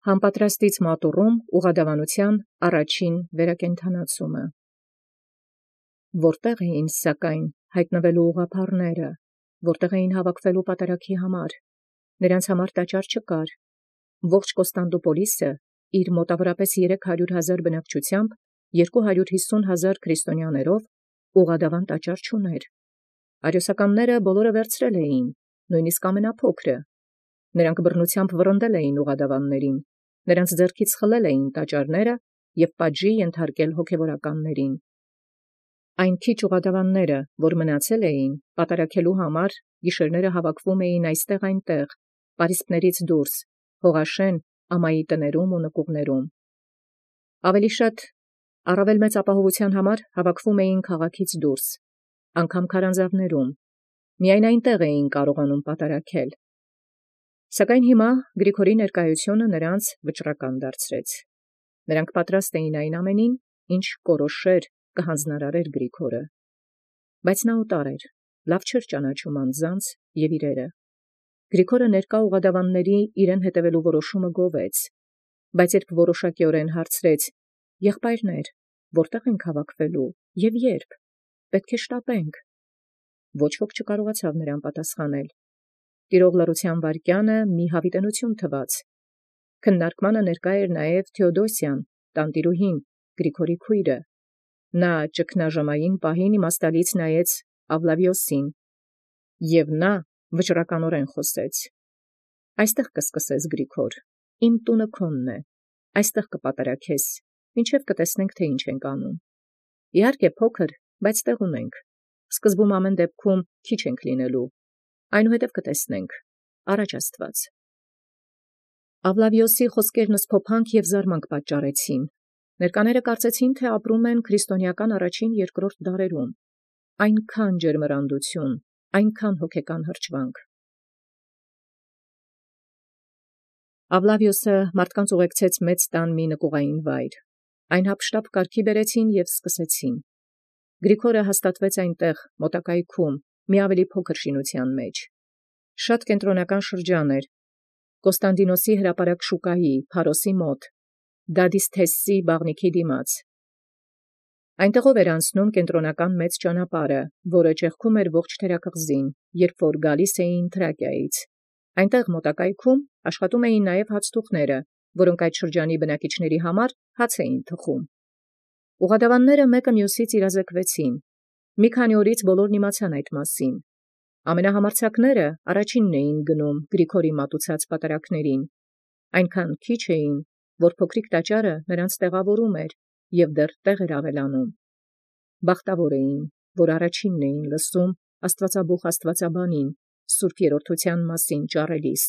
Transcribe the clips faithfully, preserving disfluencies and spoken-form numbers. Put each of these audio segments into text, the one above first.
Համպատրաստից մատուռում ուղղադավանութեան առաջին վերակենդանացումը։ Որտեղ էին սակայն հայտնվելու ուղղափառները, որտեղ էին հավաքվելու պատարագի համար, նրանց համար տաճար չկար, ողջ Կոստանդնուպոլիսը իր մոտավորապես երեք հարյուր հազար բնակչությամբ երկու հարյուր հիսուն հազար քրիստոնյաներով ուղղադավան տաճար չուներ։ Արիոսականները բոլորը վերցրել էին, նույնիսկ ամենափոքրը, նրանք բռնությամբ վռնդել էին ուղղադավաններին, նրանց ձեռքից խլել էին տաճարները և պատժի ենթարկել հոգևորականներին։ Այն քիչ ուղղադավանները, որ մնացել էին, պատարագելու համար գիշերները հավաքվում էին այստեղ այնտեղ, պարիսպներից դուրս, Հողաշեն, ամայի տներում ու նկուղներում։ Ավելի շատ, առավել մեծ ապահովության համար հավաքվում էին քաղաքից դուրս, անգամ քարանձավներում, միայն այնտեղ էին կարողանում պատարագել։ Սակայն հիմա Գրիգորի ներկայությունը նրանց վճռական դարձրեց։ Նրանք պատրաստ էին այն ամենին, ինչ կորոշեր, կհանձնարարեր Գրիգորը։ Բայց նա օտար էր, լավ չէր ճանաչում անձանց և իրերը։ Գրիգորը ներկա ուղղադավանների իրեն հետևելու որոշումը գովեց, բայց երբ որոշակիորեն հարցրեց. «Եղբայրներ, որտեղ ենք հավաքվելու և ե՞րբ, պետք է շտապենք», ոչ ոք չկարողացավ նրան պատասխանել։ Տիրող լռության վայրկյանը մի հավիտենություն թվաց։ Քննարկմանը ներկա էր նաև Թեոդոսիան, տանտիրուհին, Գրիգորի քույրը։ Նա ճգնաժամային պահին իմաստալից նայեց Ավլավիոսին, և նա վճռականորեն խոսեց. «Այստեղ կսկսես, Գրիգոր, իմ տունը քոնն է, այստեղ կպատարագես, մինչև կտեսնենք, թե ինչ ենք անում։ Իհարկե փոքր, բայց տեղ ունենք, սկզբում ամեն դեպքում քիչ ենք լինելու, այնուհետև կտեսնենք, առաջ Աստված»։ Ավլավիոսի խոսքերն սփոփանք և զարմանք պատճառեցին։ Ներկաները կարծեցին, թե ապրում են քրիստոնեական առաջին երկրորդ դարերում։ Այնքան ջերմեռանդություն, այնքան հոգեկան հրճվանք։ Ավլավիոսը մարդկանց ուղեկցեց մեծ տան մի նկուղային վայր։ Այն հափշտապ կարգի բերեցին և սկսեցին։ Գրիգորը հաստատվեց այնտեղ, մոտակայքում, մի ավելի փոքր շինության մեջ։ Շատ կենտրոնական շրջան էր, Կոստանդինոսի հրապարակ շուկայի, Փարոսի մոտ, Դադիսթեսի բաղնիքի դիմաց։ Այնտեղով էր անցնում կենտրոնական մեծ ճանապարհը, որը ճեղքում էր ողջ թերակղզին, երբ որ գալիս էին Թրակիայից։ Այնտեղ մոտակայքում աշխատում էին նաև հացթուխները, որոնք այդ շրջանի բնակիչների համար հաց էին թխում։ Ուղղադավանները մեկը մյուսից իրազեկվեցին։ Մի քանի օրից բոլորն իմացան այդ մասին։ Ամենահամարձակները առաջինն էին գնում Գրիգորի մատուցած պատարագներին։ Այնքան քիչ էին, որ փոքրիկ տաճարը նրանց տեղավորում էր և դեռ տեղ էր ավելանում։ Բախտավոր էին, որ առաջինն էին լսում աստվածաբուխ աստվածաբանին, սուրբ երրորդության մասին ճառելիս։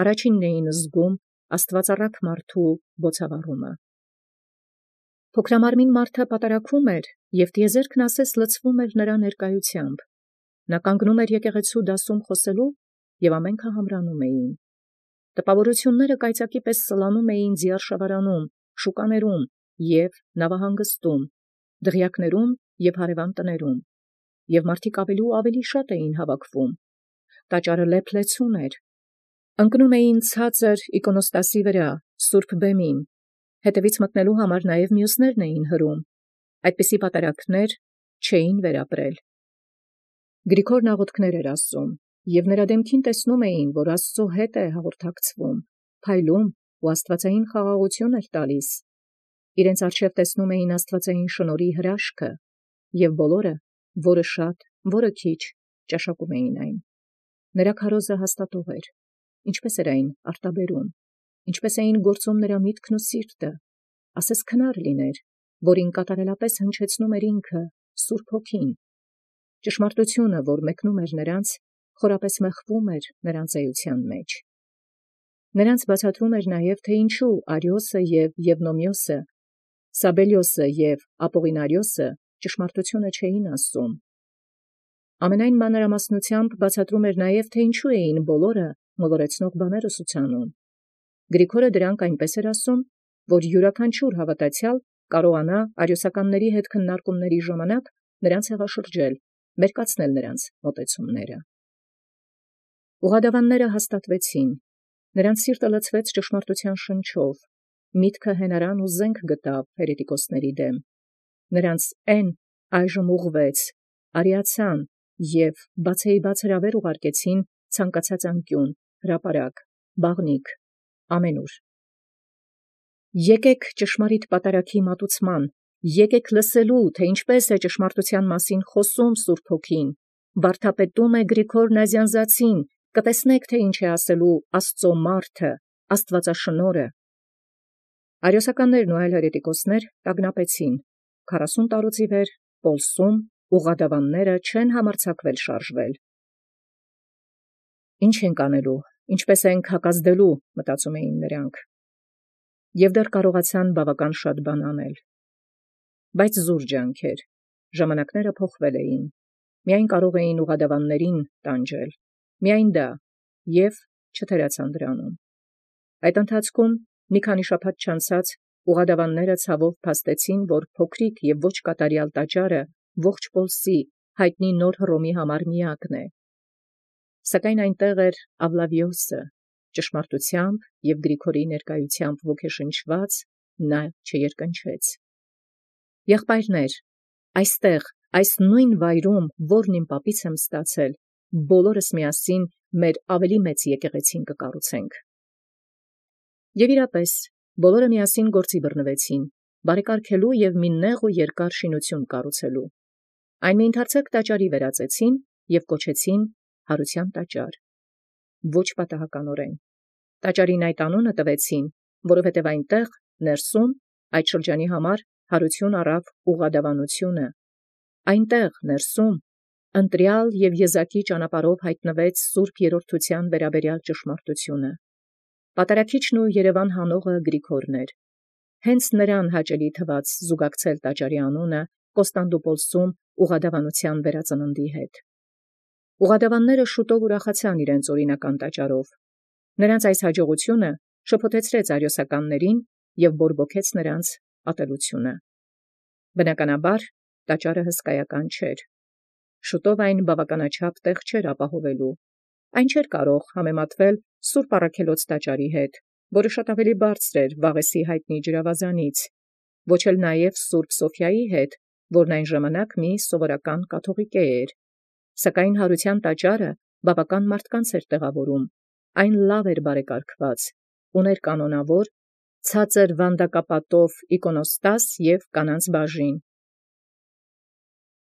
Առաջինն էին զգում աստվածառակ մարդու բոցավառումը։ Փոքրամարմին մարդը պատարագում էր, և տիեզերքն ասես լցվում էր նրա ներկայությամբ։ Նա կանգնում էր եկեղեցու դասում խոսելու, և ամենքը համրանում էին։ Տպավորությունները կայծակի պես սլանում էին ձիարշավարանում, շուկաներում և նավահանգստում, դղյակներում և հարևան տներում, և մարդիկ ավելի ու ավելի շատ էին հավաքվում։ Տաճարը լեփ-լեցուն էր։ Ընկնում էին ցածր իկոնոստասի վրա, սուրբ բեմին, հետևից մտնելու համար նաև մյուսներն էին հրում։ Այդպիսի պատարագներ չէին վերապրել։ Գրիգորն աղոթքներ էր ասում, և նրա դեմքին տեսնում էին, որ Աստծո հետ է հաղորդակցվում, փայլում ու աստվածային խաղաղություն էր տալիս։ Իրենց առջև տեսնում էին աստվածային շնորհի հրաշքը, և բոլորը, որը շատ, որը քիչ, ճաշակում էին այն։ Նրա քարոզը հաստատող էր։ Ինչպես էր այն արտաբերում, ինչպես էին գործում նրա միտքն ու սիրտը, ասես քնար լիներ, որին կատարելապես հնչեցնում էր ինքը, Սուրբ Հոգին։ Ճշմարտությունը, որ մեկնում էր նրանց, խորապես մեղվում էր նրանց էության մեջ։ Նրանց բացատրում էր նաև, թե ինչու Արիոսը և Եվնոմիոսը, Սաբելիոսը և Ապողինարիոսը ճշմարտությունը չէին ասում։ Ամենայն մանրամասնությամբ բացատրում էր նաև, թե ինչու էին բոլորը մոլորեցնող բաներ ուսուցանում։ Գրիգորը դրանք այնպես էր ասում, որ յուրաքանչյուր հավատացյալ կարողանա արիոսականների հետ քննարկումների ժամանակ նրանց հեղաշրջել, մերկացնել նրանց մոտեցումները։ Ուղղադավանները հաստատվեցին։ Նրանց սիրտը լցվեց ճշմարտութեան շնչով, միտքը հենարան ու զենք գտավ հերետիկոսների դեմ։ Նրանց են այժմ ուղղվեց, արիացան և բացեիբաց հրավեր ուղարկեցին ցանկացած անկյուն, հրապարակ, բաղնիք, ամենուր։ Եկեք ճշմարիտ պատարագի մատուցման, եկեք լսելու, թե ինչպես է ճշմարտութեան մասին խոսում Սուրբ Հոգին, վարդապետում է Գրիգոր Նազյանզացին, կտեսնեք, թե ինչ է ասելու Աստծո մարդը, Աստվածաշնորհը։ Արիոսականներն ու այլ հերետիկոսներ տագնապեցին, քառասուն տարուց ի վեր Պոլսում ուղղադավանները չեն համարձակվել շարժվել։ Ինչ ենք անելու, ինչպես ենք հակազդելու, մտածում էին նրանք, և դեռ կարողացան բավական շատ բան անել։ Բայց զուր ջանք էր, ժամանակները փոխվել էին, միայն կարող էին ուղղադավաններին տանջել, միայն դա, և չթերացան դրանում։ Այդ ընթացքում մի քանի շաբաթ չանցած ուղղադավանները ցավով փաստեցին, որ փոքրիկ և ոչ կատարյալ տաճարը ողջ Պոլսի հայտնի նոր Հռոմի համար միակն է։ Սակայն այնտեղ էր Ավլավիոսը, ճշմարտությամբ և Գրիգորի ներկայությամբ ոգեշնչված նա չերկնչեց. «Եղբայրներ, այստեղ, այս նույն վայրում, որն իմ պապից եմ ստացել, բոլորս միասին մեր ավելի մեծ եկեղեցին կկառուցենք»։ Եւ իրապես, բոլորը միասին գործի բռնվեցին, բարեկարգելու և մի նեղ ու երկար շինություն կառուցելու։ Այն մի ընդարձակ տաճարի վերածեցին և կոչեցին Հարության տաճար։ Ոչ պատահականորեն։ Տաճարին այդ անունը տվեցին, որովհետև այնտեղ, ներսում, այդ շրջանի համար հարություն առավ ուղղադավանությունը։ Այնտեղ, ներսում, ընտրյալ և եզակի ճանապարհով հայտնվեց Սուրբ Երրորդության վերաբերյալ ճշմարտությունը։ Պատարագիչն ու Երևան հանողը Գրիգորն էր։ Հենց նրան հաճելի թվաց զուգակցել տաճարի անունը Կոստանդնուպոլսում ուղղադավանության վերածննդի հետ։ Ուղղադավանները շուտով ուրախացան իրենց օրինական տաճարով։ Նրանց այս հաջողությունը շփոթեցրեց արիոսականներին և բորբոքեց նրանց ատելությունը։ Բնականաբար, տաճարը հսկայական չէր։ Շուտով այն բավականաչափ տեղ չէր ապահովելու։ Այն չէր կարող համեմատվել Սուրբ Առաքելոց տաճարի հետ, որը շատ ավելի բարձր էր Վաղեսի հայտնի ջրավազանից, ոչ էլ նաև Սուրբ Սոֆիայի հետ, որն այն ժամանակ մի սովորական կաթողիկե էր։ Սակայն Հարության տաճարը բավական մարդկանց էր տեղավորում, այն լավ էր բարեկարգված, ուներ կանոնավոր, ցածր վանդակապատով իկոնոստաս և կանանց բաժին,